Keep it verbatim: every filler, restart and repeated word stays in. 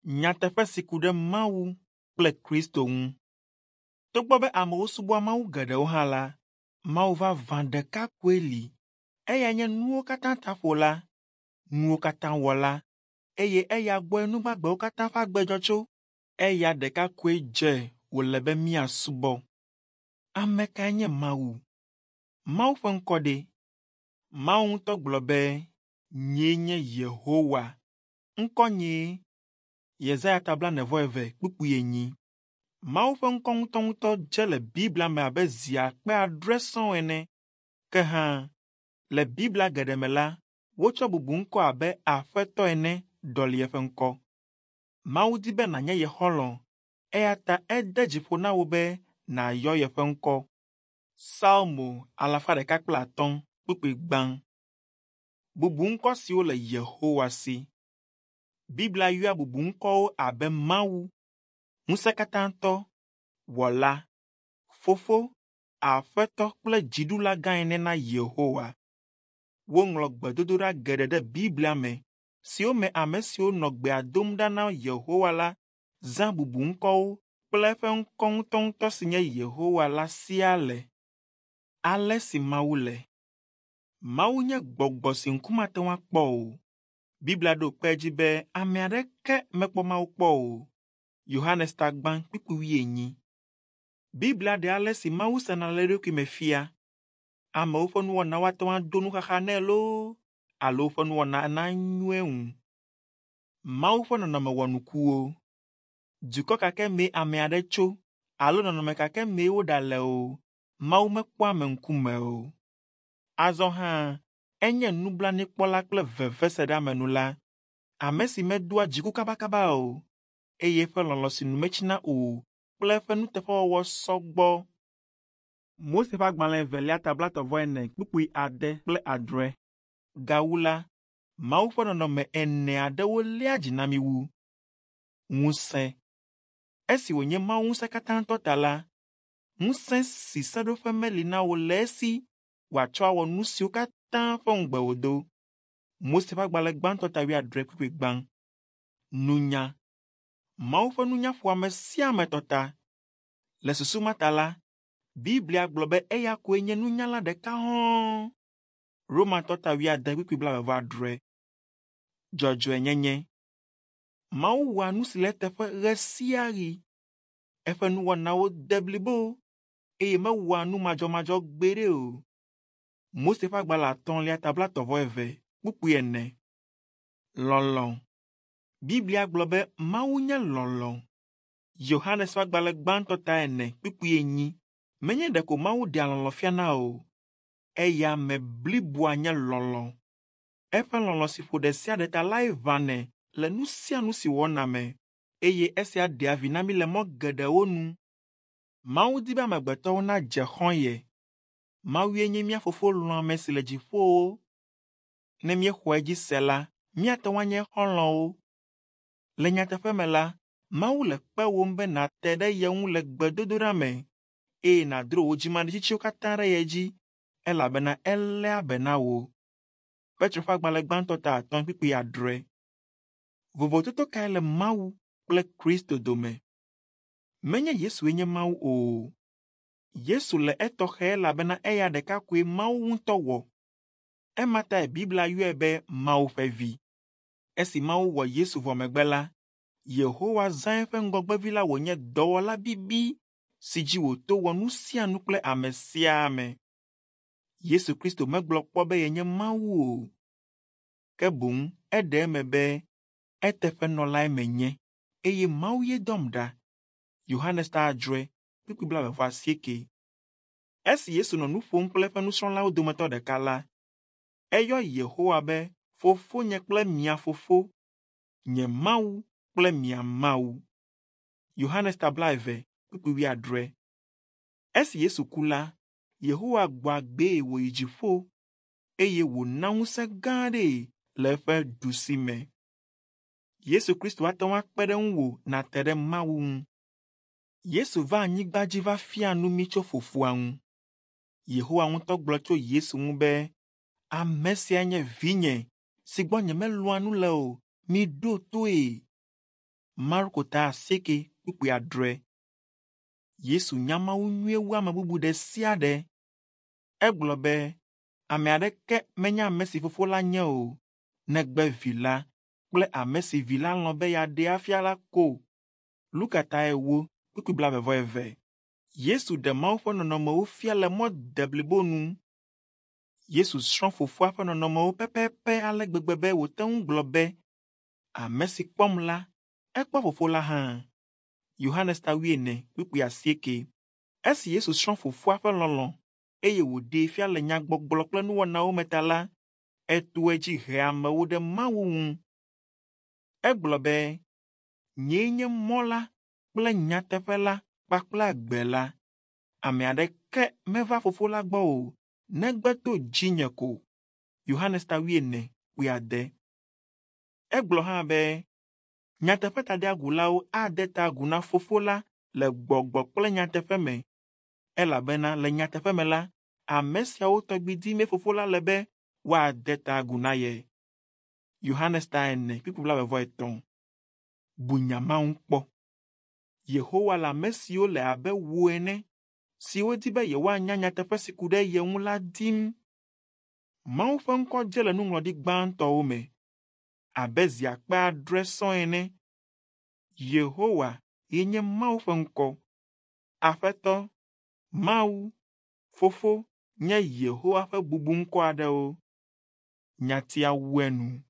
Nyateƒe si ku ɖe Mawu kple Kristo ŋu. Togbɔ be amewo subɔa mawu geɖewo hã la, Mawu vavã ɖeka koe li. Eyae nye nuwo katã taƒola, nuwo katã wɔla, eye eya gbɔe nu gbagbewo katã ƒe agbe dzɔ tso. Eya ɖeka koe dze wòle be míasubɔ. Ame kae nye Mawu? Mawu ƒe ŋkɔ ɖe? Mawu ŋutɔ gblɔ be, “Nyee nye Yehowa. Ŋkɔnyee.” Yesaya ta blaene-vɔ-eve kpukpui enyi. Mawu ƒe ŋkɔ ŋutɔŋutɔ dze le Biblia me abe zi akpe adre sɔŋ ene. Ke hã, le Biblia geɖe me la, wotsɔ bubuŋkɔ abe Aƒetɔ ene ɖɔli eƒe ŋkɔ. Mawu di be nànye ye xɔlɔ̃ eya ta ede dzi ƒo na wò be nàyɔ yeƒe ŋkɔ. Salmo alafa ɖeka kple atɔ̃ kpukpui gbã. Bubuŋkɔ siwo le Yehowa si. Biblia yɔa bubuŋkɔwo abe Mawu, Ŋusẽkatãtɔ, Wɔla, Fofo, Aƒetɔ kple Dziɖulagã ene na Yehowa. Woŋlɔ gbedodoɖa geɖe ɖe Biblia me siwo me ame siwo nɔ gbea dom ɖa na Yehowa la zã bubuŋkɔwo kple eƒe ŋkɔ ŋutɔŋutɔ si nye Yehowa la siaa le. Ale si Mawu le. Mawu nye gbɔgbɔ si ŋku mate ŋu akpɔ o. Biblia ɖo kpe edzi be ame aɖeke mekpɔ Mawu kpɔ o. Yohanes ta gbã kpukpui wuienyi. Biblia ɖe ale si Mawu sena le eɖokui me fia. Amewo ƒe nuwɔnawo ate ŋu ado nuxaxa nɛ loo alo woƒe nuwɔna nanyo eŋu. Mawu ƒe nɔnɔme wɔnukuwo. Dukɔ ka ke mee ame aɖe tso alo nɔnɔme ka ke mee woɖale o, Mawu mekpɔa ame ŋkume o. Azɔ hã, enye nublanuikpɔla kple veveseɖeamenula, ame si medoa dziku kabakaba o, eye eƒe lɔlɔ̃ si nu metsina o kple eƒe nuteƒewɔwɔ sɔ gbɔ. Mose ƒe agbalẽ evelia ta blaetɔ̃-vɔ-ene kpukpui ade kple adre. Gawu la, Mawu ƒe nɔnɔme ene aɖewo léa dzi na mí wu. Ŋusẽ. Esi wònye Mawu ŋusẽkatãtɔ ta la, ŋusẽ si seɖoƒe meli na o le esi wòatsɔ awɔ nu siwo katã ƒe ŋugbe wòdo. Mose ƒe agbalẽ gbãtɔ ta wuiadre kpukpui gbã. Nunya. Mawu ƒe nunya ƒo ame sia ame tɔ ta. Le susu ma ta la, Biblia gblɔ be eya koe nye nunyala ɖeka hɔ̃ɔ. Romatɔ ta wuiade kpukpui blaeve-vɔ-adre. Dzɔdzɔenyenye. Mawu wɔa nu si le eteƒe ɣe sia ɣi. Eƒe nuwɔnawo de blibo eye mewɔa nu madzɔmadzɔ gbeɖe o. Mose ƒe agbalẽ atɔ̃lia ta blaetɔ̃-vɔ-eve kpukpui ene. Lɔlɔ̃. Biblia gblɔ be Mawu nye lɔlɔ̃. Yohanes ƒe agbalẽ gbãtɔ ta ene kpukpui enyi. Menye ɖeko Mawu ɖea lɔlɔ̃ fiana o, eya ame bliboa nye lɔlɔ̃. Eƒe lɔlɔ̃ si ƒo ɖe sia ɖe ta lae ʋãnɛ le nu sia nu si wòwɔna me, eye esia ɖea vi na mí le mɔ geɖewo nu. Mawu di be amegbetɔwo nadze xɔ̃ ye. Mawue nye mía Fofo lɔ̃ame si le dziƒowo. Ne míexɔ edzi se la, míate ŋu anye xɔlɔ̃wo. Le nyateƒe me la, Mawu le kpewòm be nàte ɖe ye ŋu le gbedodoɖa me eye nàdro wò dzimaɖitsitsiwo katã ɖe ye dzi elabena eléa be na wò. Petro ƒe agbalẽ gbãtɔ ta atɔ̃ kpukpui adre. Vovototo kae le Mawu kple Kristo dome? Menye Yesue nye Mawu o. Yesu le etɔxɛ elabena eya ɖeka koe Mawu ŋutɔ wɔ. Ema tae Biblia yɔe be Mawu ƒe Vi. Esi Mawu wɔ Yesu vɔ megbe la, Yehowa zã eƒe ŋgɔgbevi la wònye dɔwɔla bibi si dzi wòto wɔ nu sia nu kple ame sia ame. Yesu Kristo megblɔ kpɔ be yenye Mawu o. Ke boŋ eɖe eme be eteƒenɔlae menye eye Mawu ye dɔm ɖa. Yohanes ta adre kpukpui blaeve-vɔ-asieke. Esi Yesu nɔ nu ƒom kple eƒe nusrɔ̃lawo dometɔ ɖeka la, eyɔ Yehowa be Fofonye kple mia Fofo, nye Mawu kple mia Mawu. Yohanes ta blaeve kpukpui wuiadre. Esi Yesu ku la, Yehowa gbɔ agbee wòyi dziƒo eye wòna ŋusẽ gã aɖee le eƒe ɖusime. Yesu Kristo ate ŋu akpe ɖe ŋuwò nàte ɖe Mawu ŋu. Yesu va anyigba dzi va fia nu mí tso Fofoa ŋu. Yehowa ŋutɔ gblɔ tso Yesu ŋu be, “Ame sia nye vinye si gbɔ nyemelɔ̃a nu le o, miɖo toe.” Marko ta asieke kpukpui adre. Yesu nya Mawu nyuie wu ame bubu ɖe sia ɖe. Egblɔ be ame aɖeke menya ame si Fofo la nye o, negbe Vi la kple ame si Vi la lɔ̃ be yeaɖee afia la ko. Luka ta ewo kpukpui blaeve vɔ eve. Yesu ɖe Mawu ƒe nɔnɔmewo fia le mɔ deblibo nu. Yesu srɔ̃ Fofoa ƒe nɔnɔmewo pɛpɛpɛ ale gbegbe be wòte ŋu gblɔ be, “Ame si kpɔm la, ekpɔ Fofo la hã.” Yohanes ta wuiene kpukpui asieke. Esi Yesu srɔ̃ Fofoa ƒe lɔlɔ̃ eye wòɖee fia le nyagbɔgblɔ kple nuwɔnawo me ta la, eto edzi he amewo ɖe Mawu ŋu. Egblɔ be, “Nyee nye mɔ la kple nyateƒe la kpakple agbe la. Ame aɖeke meva Fofo la gbɔ o, negbe to dzinye ko.” Yohanes ta wuiene kpui ade. Egblɔ hã be, nyateƒetadeagulawo ade ta agu na Fofo la le gbɔgbɔ kple nyateƒe me, elabena le nyateƒe me la, ame siawo tɔgbi dimee Fofo la le be woade ta agu na ye. Yohanes ta ene kpukpui blaeve vɔ etɔ̃. Bu nya ma ŋu kpɔ. Yehowa le ame siwo le abe wò ene, siwo di be yewoanya nyateƒe si ku ɖe ye ŋu la dim. Mawu ƒe ŋkɔ dze le nuŋlɔɖi gbãtɔwo me abe zi akpe adre sɔŋ ene. Yehowa ye nye Mawu ƒe ŋkɔ. Aƒetɔ, Mawu, Fofo nye Yehowa ƒe bubuŋkɔ aɖewo. Nyatia wu enu.